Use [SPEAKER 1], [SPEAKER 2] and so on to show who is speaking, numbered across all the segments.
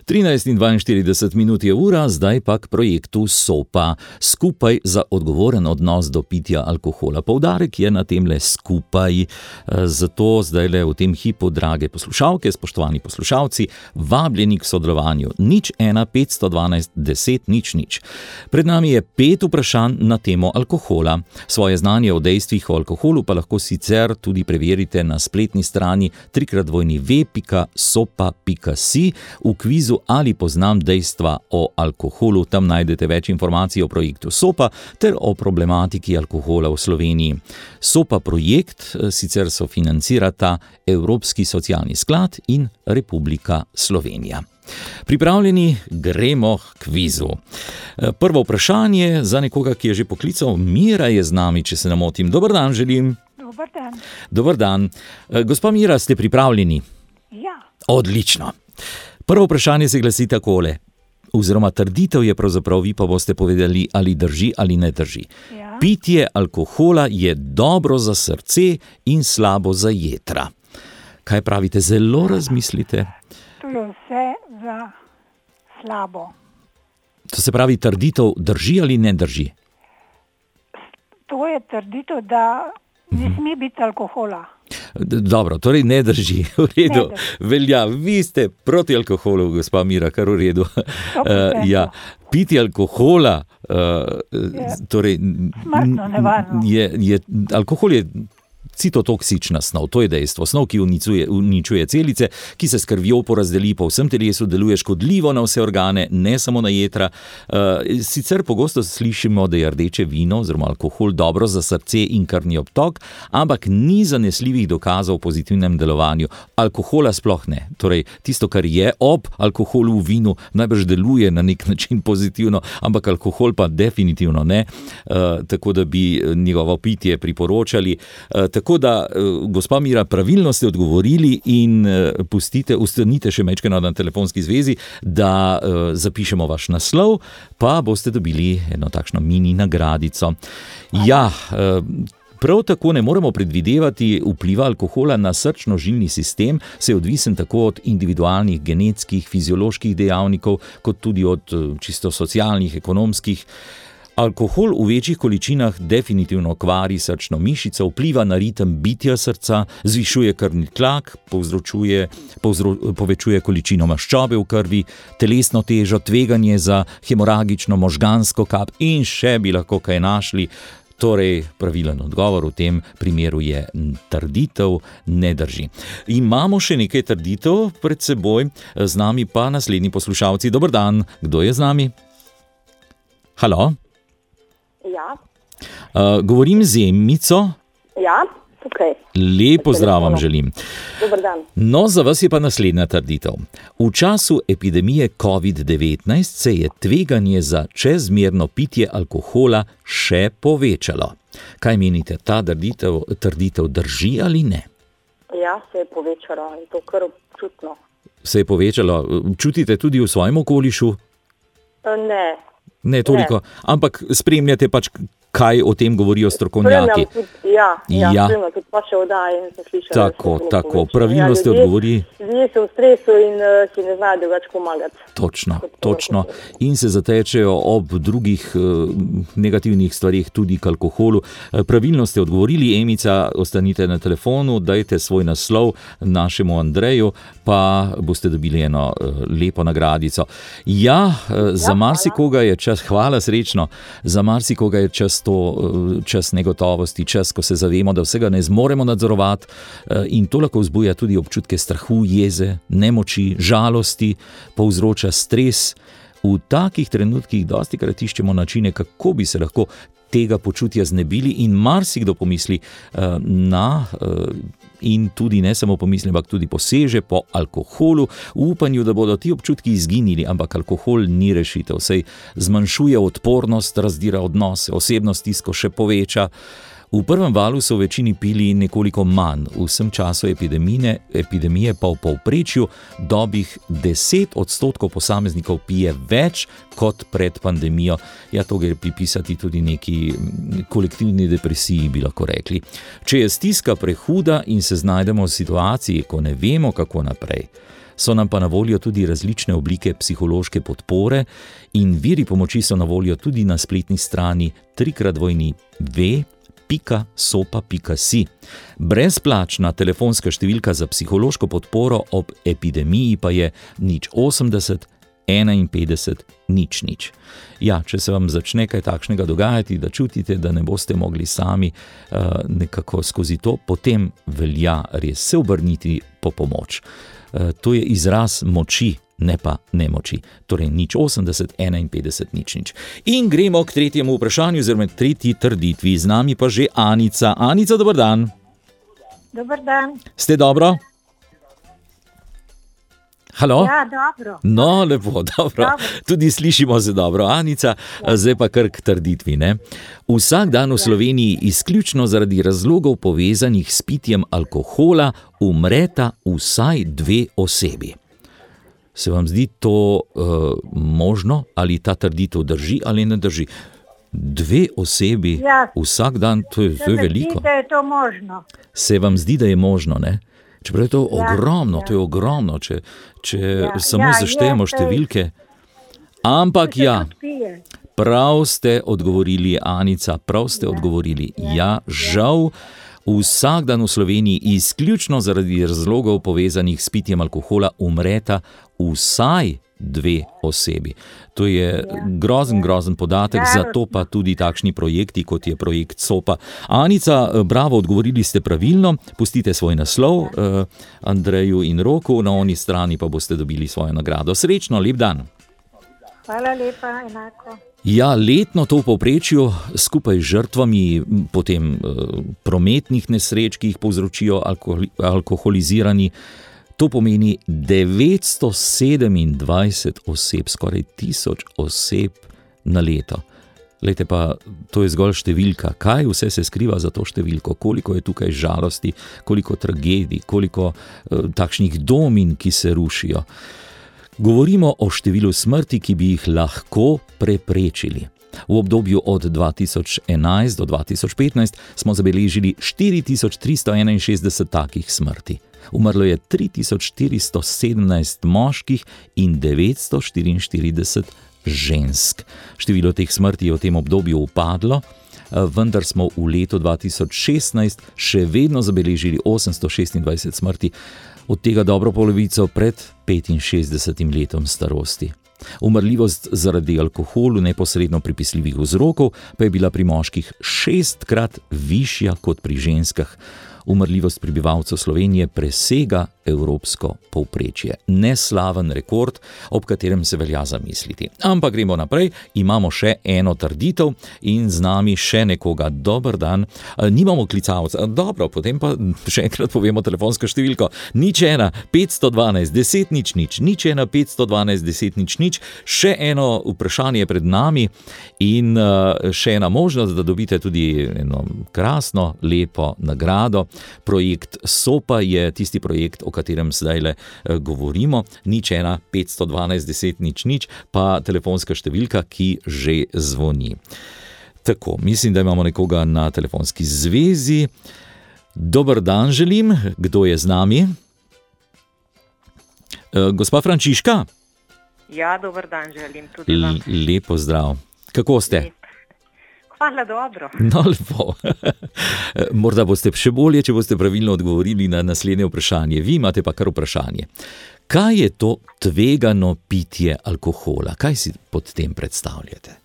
[SPEAKER 1] 13:42 je ura, zdaj pa k projektu SOPA. Skupaj za odgovoren odnos do pitja alkohola. Poudarek je na temle skupaj. Zato zdajle v tem hipu, drage poslušalke, spoštovani poslušalci, vabljeni k sodelovanju. 01 512 10 00. Pred nami je 5 vprašanj na temo alkohola. Svoje znanje o dejstvih o alkoholu pa lahko sicer tudi preverite na spletni strani www.sopa.si v kvizu Ali poznam dejstva o alkoholu. Tam najdete več informacij o projektu SOPA ter o problematiki alkohola v Sloveniji. SOPA projekt sicer sofinancirata Evropski socialni sklad in Republika Slovenija. Pripravljeni, gremo k kvizu. Prvo vprašanje za nekoga, ki je že poklical. Mira je z nami, če se ne motim. Dober dan želim.
[SPEAKER 2] Dober dan.
[SPEAKER 1] Dober dan. Gospa Mira, ste pripravljeni?
[SPEAKER 2] Ja.
[SPEAKER 1] Odlično. Prvo vprašanje se glasi takole. Oziroma trditev je pravzaprav, vi pa boste povedali, ali drži ali ne drži.
[SPEAKER 2] Ja.
[SPEAKER 1] Pitje alkohola je dobro za srce in slabo za jetra. Kaj pravite? Zelo razmislite.
[SPEAKER 2] To je vse za slabo.
[SPEAKER 1] To se pravi, trditev drži ali ne drži?
[SPEAKER 2] To je trditev, da ne sme biti alkohola.
[SPEAKER 1] Dobro, torej ne drži. V redu, velja. Vi ste proti alkoholu, gospa Mira, kar v redu. Ja, pitje alkohola, torej,
[SPEAKER 2] smrtno nevarno.
[SPEAKER 1] Alkohol je citotoksična snov, to je dejstvo. Snov, ki uničuje celice, ki se s krvjo porazdeli po vsem telesu, deluje škodljivo na vse organe, ne samo na jetra. Sicer pogosto slišimo, da je rdeče vino oziroma alkohol dobro za srce in krvni obtok, ampak ni zanesljivih dokazov o pozitivnem delovanju. Alkohola sploh ne. Torej, tisto, kar je ob alkoholu v vinu, najbrž deluje na nek način pozitivno, ampak alkohol pa definitivno ne. Tako da bi njegovo pitje priporočali. Tako da, gospa Mira, pravilno ste odgovorili in ustanite še majčkeno na telefonski zvezi, da zapišemo vaš naslov, pa boste dobili eno takšno mini nagradico. Ja, prav tako ne moremo predvidevati vpliva alkohola na srčno-žilni sistem, se je odvisen tako od individualnih genetskih, fizioloških dejavnikov, kot tudi od čisto socialnih, ekonomskih. Alkohol v večjih količinah definitivno kvari srčno mišico, vpliva na ritem bitja srca, zvišuje krvni tlak, povečuje količino maščobe v krvi, telesno težo, tveganje za hemoragično možgansko kap in še bi lahko kaj našli. Torej, pravilen odgovor v tem primeru je trditev ne drži. Imamo še nekaj trditev pred seboj, z nami pa naslednji poslušalci. Dober dan, kdo je z nami? Halo?
[SPEAKER 3] Ja.
[SPEAKER 1] Govorim z Emico.
[SPEAKER 3] Ja, tukaj.
[SPEAKER 1] Lep pozdrav vam želim.
[SPEAKER 3] Dober dan.
[SPEAKER 1] No, za vas je pa naslednja trditev. V času epidemije COVID-19 se je tveganje za čezmerno pitje alkohola še povečalo. Kaj menite, ta trditev drži ali ne?
[SPEAKER 3] Ja, se je povečalo in to kar občutno.
[SPEAKER 1] Se je povečalo. Čutite tudi v svojem okolišu?
[SPEAKER 3] Ne.
[SPEAKER 1] Ne toliko, ampak spremljate pač, kaj o tem govorijo strokovnjaki.
[SPEAKER 3] Spremljam tudi vaše oddaje in sem slišala.
[SPEAKER 1] Tako, pravilno ste odgovorili.
[SPEAKER 3] Ljudje so v stresu in si ne znajo drugače pomagati.
[SPEAKER 1] Točno. In se zatečejo ob drugih negativnih stvarih tudi k alkoholu. Pravilno ste odgovorili, Emica, ostanite na telefonu, dajte svoj naslov našemu Andreju, pa boste dobili eno lepo nagradico. Ja, za marsikoga je čas, hvala, srečno, za marsikoga je čas negotovosti, čas, ko se zavemo, da vsega ne zmoremo nadzorovati, in to lahko vzbuja tudi občutke strahu, jeze, nemoči, žalosti, povzroča stres. V takih trenutkih dostikrat iščemo načine, kako bi se lahko tega počutja znebili, in marsikdo pomisli in tudi ne samo pomisli, ampak tudi poseže po alkoholu v upanju, da bodo ti občutki izginili, ampak alkohol ni rešitev, saj zmanjšuje odpornost, razdira odnose, osebno stisko še poveča. V prvem valu so v večini pili nekoliko manj, v vsem času epidemije pa v povprečju dobrih 10% posameznikov pije več kot pred pandemijo. Ja, to gre pripisati tudi neki kolektivni depresiji, bi lahko rekli. Če je stiska prehuda in se znajdemo v situaciji, ko ne vemo, kako naprej, so nam pa na voljo tudi različne oblike psihološke podpore in viri pomoči so na voljo tudi na spletni strani www.sopa.si. Brezplačna telefonska številka za psihološko podporo ob epidemiji pa je 080 51 00. Ja, če se vam začne kaj takšnega dogajati, da čutite, da ne boste mogli sami nekako skozi to, potem velja res se obrniti po pomoč. To je izraz moči, ne pa nemoči. Torej 080 51 00. In gremo k tretjemu vprašanju, oziroma tretji trditvi. Z nami pa že Anica. Anica, dober dan.
[SPEAKER 2] Dober dan.
[SPEAKER 1] Ste dobro? Halo?
[SPEAKER 2] Ja, dobro.
[SPEAKER 1] No, lepo, dobro. Tudi slišimo se dobro, Anica. Zdaj pa kar k trditvi, ne? Vsak dan v Sloveniji izključno zaradi razlogov povezanih s pitjem alkohola umreta vsaj 2 osebi. Se vam zdi to možno? Ali ta trditev drži ali ne drži? 2 osebi vsak dan, to je veliko.
[SPEAKER 2] Se mi zdi, da je to možno.
[SPEAKER 1] Se vam zdi, da je možno, ne? Čeprav je to ogromno, to je ogromno, če samo zaštejemo številke. Ampak ja, prav ste odgovorili, Anica, prav ste odgovorili. Ja, žal, vsak dan v Sloveniji izključno zaradi razlogov povezanih s pitjem alkohola umreta vsaj 2 osebi. To je grozen podatek, zato pa tudi takšni projekti, kot je projekt SOPA. Anica, bravo, odgovorili ste pravilno. Pustite svoj naslov Andreju in Roku, na oni strani pa boste dobili svojo nagrado. Srečno, lep dan.
[SPEAKER 2] Hvala lepa, enako.
[SPEAKER 1] Ja, letno to v povprečju skupaj z žrtvami potem prometnih nesreč, ki jih povzročijo alkoholizirani, to pomeni 927 oseb, skoraj 1000 oseb na leto. Glejte pa, to je zgolj številka. Kaj vse se skriva za to številko? Koliko je tukaj žalosti, koliko tragedij, koliko takšnih domin, ki se rušijo. Govorimo o številu smrti, ki bi jih lahko preprečili. V obdobju od 2011 do 2015 smo zabeležili 4361 takih smrti. Umrlo je 3417 moških in 944 žensk. Število teh smrti je v tem obdobju upadlo, vendar smo v letu 2016 še vedno zabeležili 826 smrti, od tega dobro polovico pred 65 letom starosti. Umrljivost zaradi alkoholu neposredno pripisljivih vzrokov pa je bila pri moških 6-krat višja kot pri ženskah. Umrljivost prebivalcev Slovenije presega evropsko povprečje. Neslaven rekord, ob katerem se velja zamisliti. Ampak gremo naprej, imamo še eno trditev in z nami še nekoga. Dober dan. Nimamo klicalca. Dobro, potem pa še enkrat povemo telefonsko številko. 01512 10 00, 01512 10 00. Še eno vprašanje pred nami in še ena možnost, da dobite tudi eno krasno, lepo nagrado. Projekt SOPA je tisti projekt, o katerem zdajle govorimo. 01512 10 00, pa telefonska številka, ki že zvoni. Tako, mislim, da imamo nekoga na telefonski zvezi. Dober dan želim. Kdo je z nami? Gospa Frančiška?
[SPEAKER 3] Ja, dober dan želim tudi vam.
[SPEAKER 1] Lepo zdrav. Kako ste?
[SPEAKER 3] Hvala, dobro.
[SPEAKER 1] No, lepo. Morda boste še bolje, če boste pravilno odgovorili na naslednje vprašanje. Vi imate pa kar vprašanje. Kaj je to tvegano pitje alkohola? Kaj si pod tem predstavljate?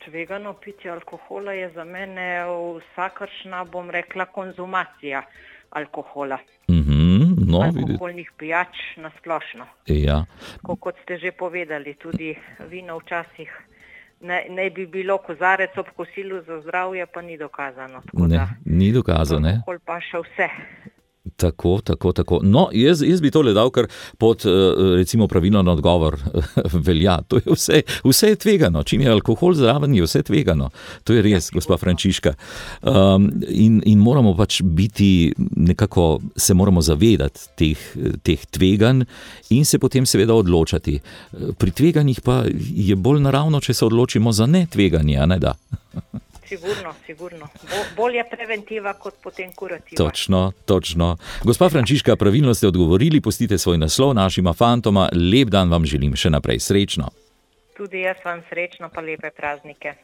[SPEAKER 3] Tvegano pitje alkohola je za mene vsakršna, bom rekla, konzumacija alkohola. Alkoholnih pijač na splošno.
[SPEAKER 1] Ja.
[SPEAKER 3] Kot ste že povedali, tudi vino včasih naj bi bilo kozarec ob kosilu za zdravje, pa ni dokazano.
[SPEAKER 1] Ni dokazano, ne?
[SPEAKER 3] Alkohol pa še vse.
[SPEAKER 1] Tako. No, jaz bi tole dal kar pod, recimo, pravilen odgovor velja. To je vse je tvegano. Čim je alkohol zraven, je vse tvegano. To je res, gospa Frančiška. In moramo pač biti nekako, se moramo zavedati teh tveganj in se potem seveda odločati. Pri tveganjih pa je bolj naravno, če se odločimo za netveganje, a ne da?
[SPEAKER 3] Sigurno. Bolje preventiva kot potem kurativa.
[SPEAKER 1] Točno. Gospa Frančiška, pravilno ste odgovorili, pustite svoj naslov našima fantoma. Lep dan vam želim, še naprej srečno.
[SPEAKER 3] Tudi jaz vam srečno, pa lepe praznike.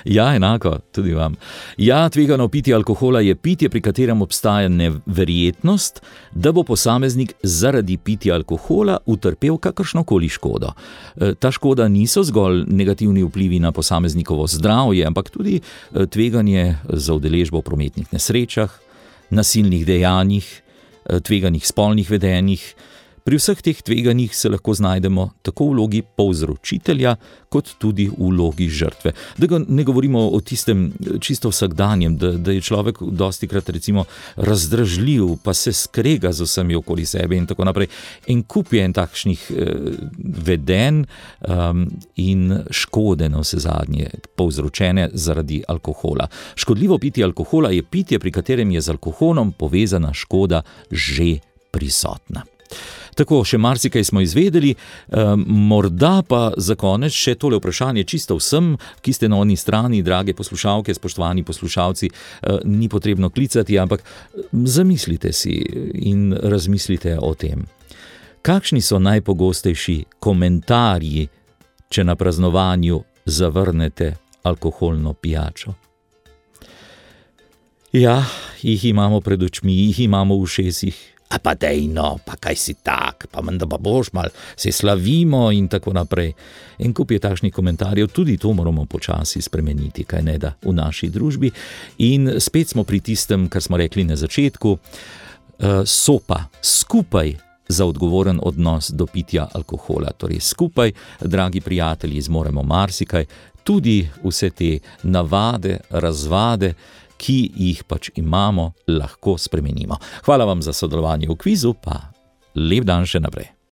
[SPEAKER 1] Ja, enako, tudi vam. Ja, tvegano pitje alkohola je pitje, pri katerem obstaja neverjetnost, da bo posameznik zaradi pitja alkohola utrpel kakršnokoli škodo. Ta škoda niso zgolj negativni vplivi na posameznikovo zdravje, ampak tudi tveganje za udeležbo v prometnih nesrečah, nasilnih dejanjih, tveganih spolnih vedenjih. Pri vseh teh tveganjih se lahko znajdemo tako v vlogi povzročitelja, kot tudi v vlogi žrtve. Da ne govorimo o tistem čisto vsakdanjem, da je človek dostikrat recimo razdražljiv, pa se skrega z vsemi okoli sebe in tako naprej. En kup je takšnih vedenj in škode na vse zadnje, povzročene zaradi alkohola. Škodljivo pitje alkohola je pitje, pri katerem je z alkoholom povezana škoda že prisotna. Tako, še marsikaj smo izvedeli, morda pa za konec še tole vprašanje čisto vsem, ki ste na oni strani, drage poslušalke, spoštovani poslušalci, ni potrebno klicati, ampak zamislite si in razmislite o tem. Kakšni so najpogostejši komentarji, če na praznovanju zavrnete alkoholno pijačo? Ja, jih imamo pred očmi, jih imamo v ušesih. A pa dej no, pa kaj si tak, pa menda pa boš mal, se slavimo in tako naprej. En kup je takšnih komentarjev, tudi to moramo počasi spremeniti, kaj ne da v naši družbi. In spet smo pri tistem, kar smo rekli na začetku, sopa skupaj za odgovoren odnos do pitja alkohola. Torej skupaj, dragi prijatelji, zmoremo marsikaj, tudi vse te navade, razvade, ki jih pač imamo, lahko spremenimo. Hvala vam za sodelovanje v kvizu, pa lep dan še naprej.